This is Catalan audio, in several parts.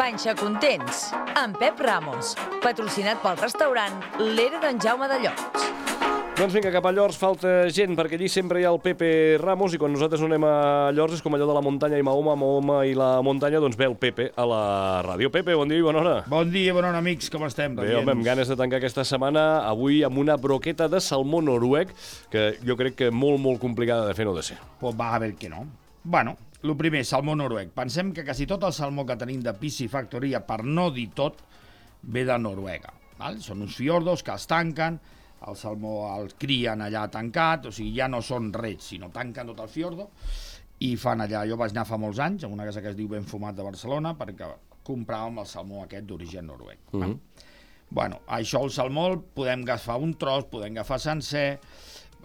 Panxa Contents, amb Pep Ramos, patrocinat pel restaurant L'Era d'en Jaume de Llots. Doncs vinga, cap a Llors falta gent, perquè allí sempre hi ha el Pepe Ramos i quan nosaltres no anem a Llors és com allò de la muntanya i Mahoma, Mahoma i la muntanya, doncs ve el Pepe a la ràdio. Pepe, bon dia i bona hora. Bon dia, bona hora, amics, com estem? Bé, home, amb ganes de tancar aquesta setmana, avui amb una broqueta de salmó noruec, que jo crec que molt complicada de fer no de ser. Pues va a ver que no. Bueno, el primer, salmó noruec. Pensem que quasi tot el salmó que tenim de piscifactoria, per no dir tot, ve de Noruega. Val? Són uns fiordos que els tanquen, el salmó el crien allà tancat, o sigui, ja no són rets, sinó tanquen tot el fiordo i fan allà. Jo vaig anar fa molts anys a una casa que es diu Ben Fumat de Barcelona perquè compràvem el salmó aquest d'origen noruec. Bueno, això el salmó el podem agafar un tros, podem agafar sencer.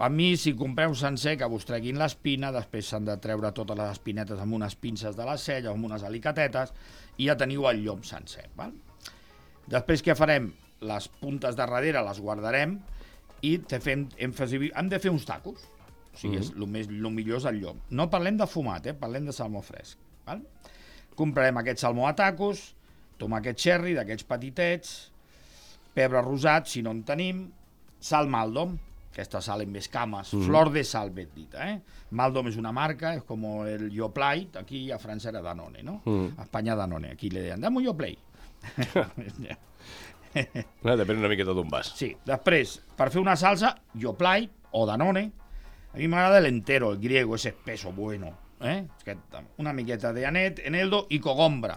A mi, si compreu sencer, que vos treguin l'espina, després s'han de treure totes les espinetes amb unes pinces de la cella, amb unes alicatetes, i ja teniu el llom sencer. Val? Després què farem? Les puntes de darrere les guardarem i hem de fer uns tacos. O sigui, el millor és el llom. No parlem de fumat, parlem de salmó fresc. Val? Comprarem aquest salmó a tacos, tomàquet cherry, d'aquests petitets, pebre rosat, si no en tenim, sal Maldom, aquesta sal amb escames, flor de sal, ben dita. Maldom és una marca, és com el Yoplait, aquí a França era Danone, no? A Espanya Danone, aquí li deien, dame un Yoplait. Depèn una miqueta d'on vas. Sí, després, per fer una salsa, Yoplait o Danone, a mi m'agrada l'entero, el griego, ese espeso bueno. Una miqueta de anet, eneldo i cogombra,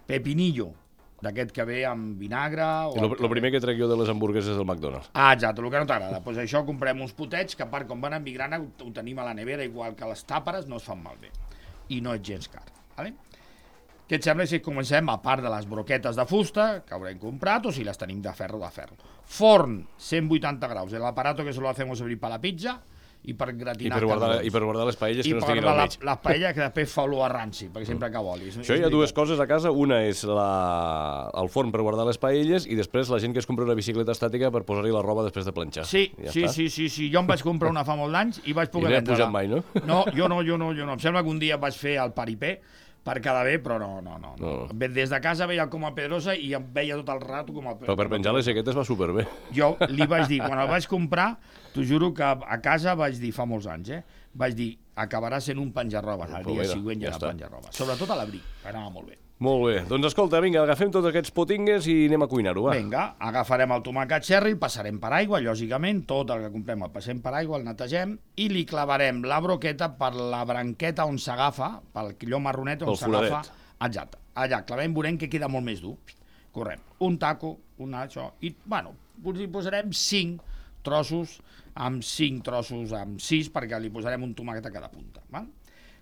pepinillo, d'aquest que ve amb vinagre... El primer que trec jo de les hamburgueses del McDonald's. Ah, exacte, el que no t'agrada. Doncs això comprem uns potets que, a part, com van en migrana, ho tenim a la nevera, igual que les tàperes, no es fan malbé. I no és gens car. Vale? Què et sembla si comencem, a part de les broquetes de fusta, que haurem comprat, o si les tenim de ferro, Forn, 180 graus, l'aparato que se lo hacemos servir per la pizza i per gratinar I per guardar les paelles que no estiguin al mig. I per les paelles que després fa olor a ranci, perquè sempre cau oli. Això hi ha dues coses a casa, una és el forn per guardar les paelles i després la gent que es compra una bicicleta estàtica per posar-hi la roba després de planxar. Sí, jo em vaig comprar una fa molt d'anys i vaig poder vendre-la. I no he pujat mai, no? No, jo no. Em sembla que un dia vaig fer el paripé per quedar bé, però no. Des de casa veia com a Pedrosa i em veia tot el rato com a Pedrosa. Però per penjar les jaquetes va superbé. Jo li vaig dir, quan el vaig comprar, t'ho juro que a casa vaig dir, fa molts anys, vaig dir, acabarà sent un penjarrobes, el dia següent ja era penjarrobes. Sobretot a l'abric, anava molt bé. Molt bé, doncs escolta, vinga, agafem tots aquests potingues i anem a cuinar-ho, va. Vinga, agafarem el tomàquet cherry, el passarem per aigua, lògicament, tot el que comprem el passem per aigua, el netegem, i li clavarem la broqueta per la branqueta on s'agafa, pel quilló marronet on s'agafa. Exacte, allà clavem, veurem que queda molt més dur. Correm, un taco, això, i, bueno, hi posarem 5 trossos, amb 6, perquè li posarem un tomàquet a cada punta, val?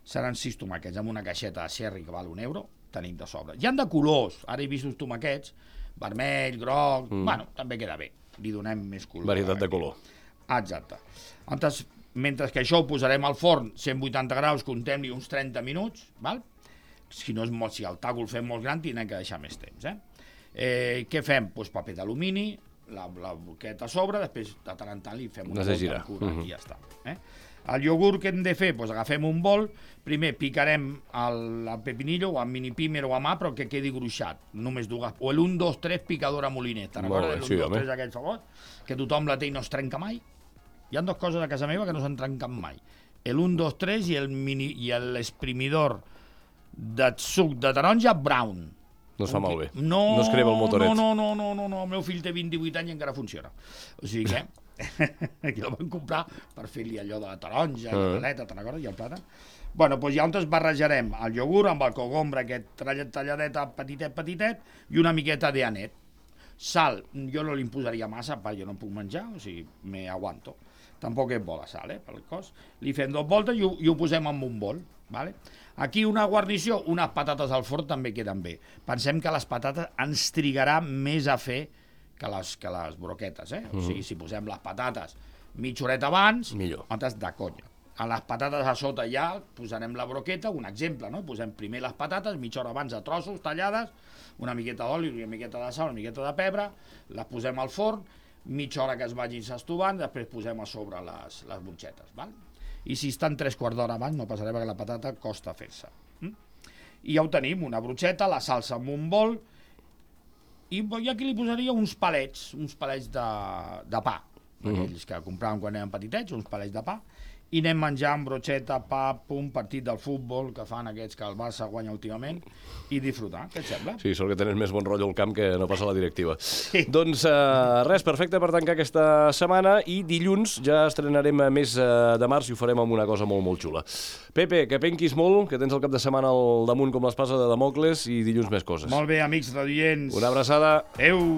Seran 6 tomàquets amb una caixeta de cherry que val €1, tenim de sobre. Hi han de colors, ara he vist uns tomàquets, vermell, groc, bueno, també queda bé, li donem més color. Varietat de color. Exacte. Mentre que això ho posarem al forn, 180 graus, contem-li uns 30 minuts, val? Si el taco el fem molt gran, tindrem que deixar més temps. Què fem? Doncs paper d'alumini, la broqueta a sobre, després de tant en tant li fem una volta cura i ja està. El iogurt que hem de fer? Doncs agafem un bol, primer picarem el pepinillo o amb mini pimer o a mà, però que quedi gruixat, només dues, o l'1, 2, 3 picadora molineta, recordes l'1, 2, 3 aquell favor? Que tothom la té i no es trenca mai. Hi ha 2 coses a casa meva que no s'han trencat mai, l'1, 2, 3 i l'esprimidor de suc de taronja brown. No es fa malbé, no es crema el motoret. No, el meu fill té 20-18 anys i encara funciona. O sigui que aquí el van comprar per fer-li allò de la taronja, la galeta, te'n recordes? I el plàtan. Bueno, doncs llavors barrejarem el iogurt amb el cogombra, aquest talladeta petitet, i una miqueta d'anet. Sal, jo no li posaria massa, perquè jo no puc menjar, o sigui, me aguanto. Tampoc és bo la sal, pel cos. Li fem 2 voltes i ho posem en un bol. Vale? Aquí una guarnició, unes patates al forn també queden bé. Pensem que les patates ens trigarà més a fer que les broquetes, O sigui, si posem les patates mitja horeta abans, nosaltres de conya. A les patates a sota ja posarem la broqueta, un exemple, no? Posem primer les patates, mitja hora abans a trossos tallades, una miqueta d'oli, una miqueta de sal, una miqueta de pebre, les posem al forn, mitja hora que es vagin s'estovant, després posem a sobre les butxetes, val? I si estan 3 quarts d'hora abans no passarà perquè la patata costa fer-se. I ja ho tenim, una brocheta, la salsa amb un bol, i aquí li posaria uns palets de pa, aquells que compràvem quan érem petitets, uns palets de pa, i anem menjant brocheta, pa, partit del futbol que fan aquests que el Barça guanya últimament, i disfrutar, què et sembla? Sí, sort que tens més bon rotllo al camp que no passa la directiva. Sí. Doncs res, perfecte per tancar aquesta setmana, i dilluns ja estrenarem més de març i ho farem amb una cosa molt, molt xula. Pepe, que penquis molt, que tens el cap de setmana al damunt com l'espasa de Damocles, i dilluns més coses. Molt bé, amics radioients. Una abraçada. Adéu.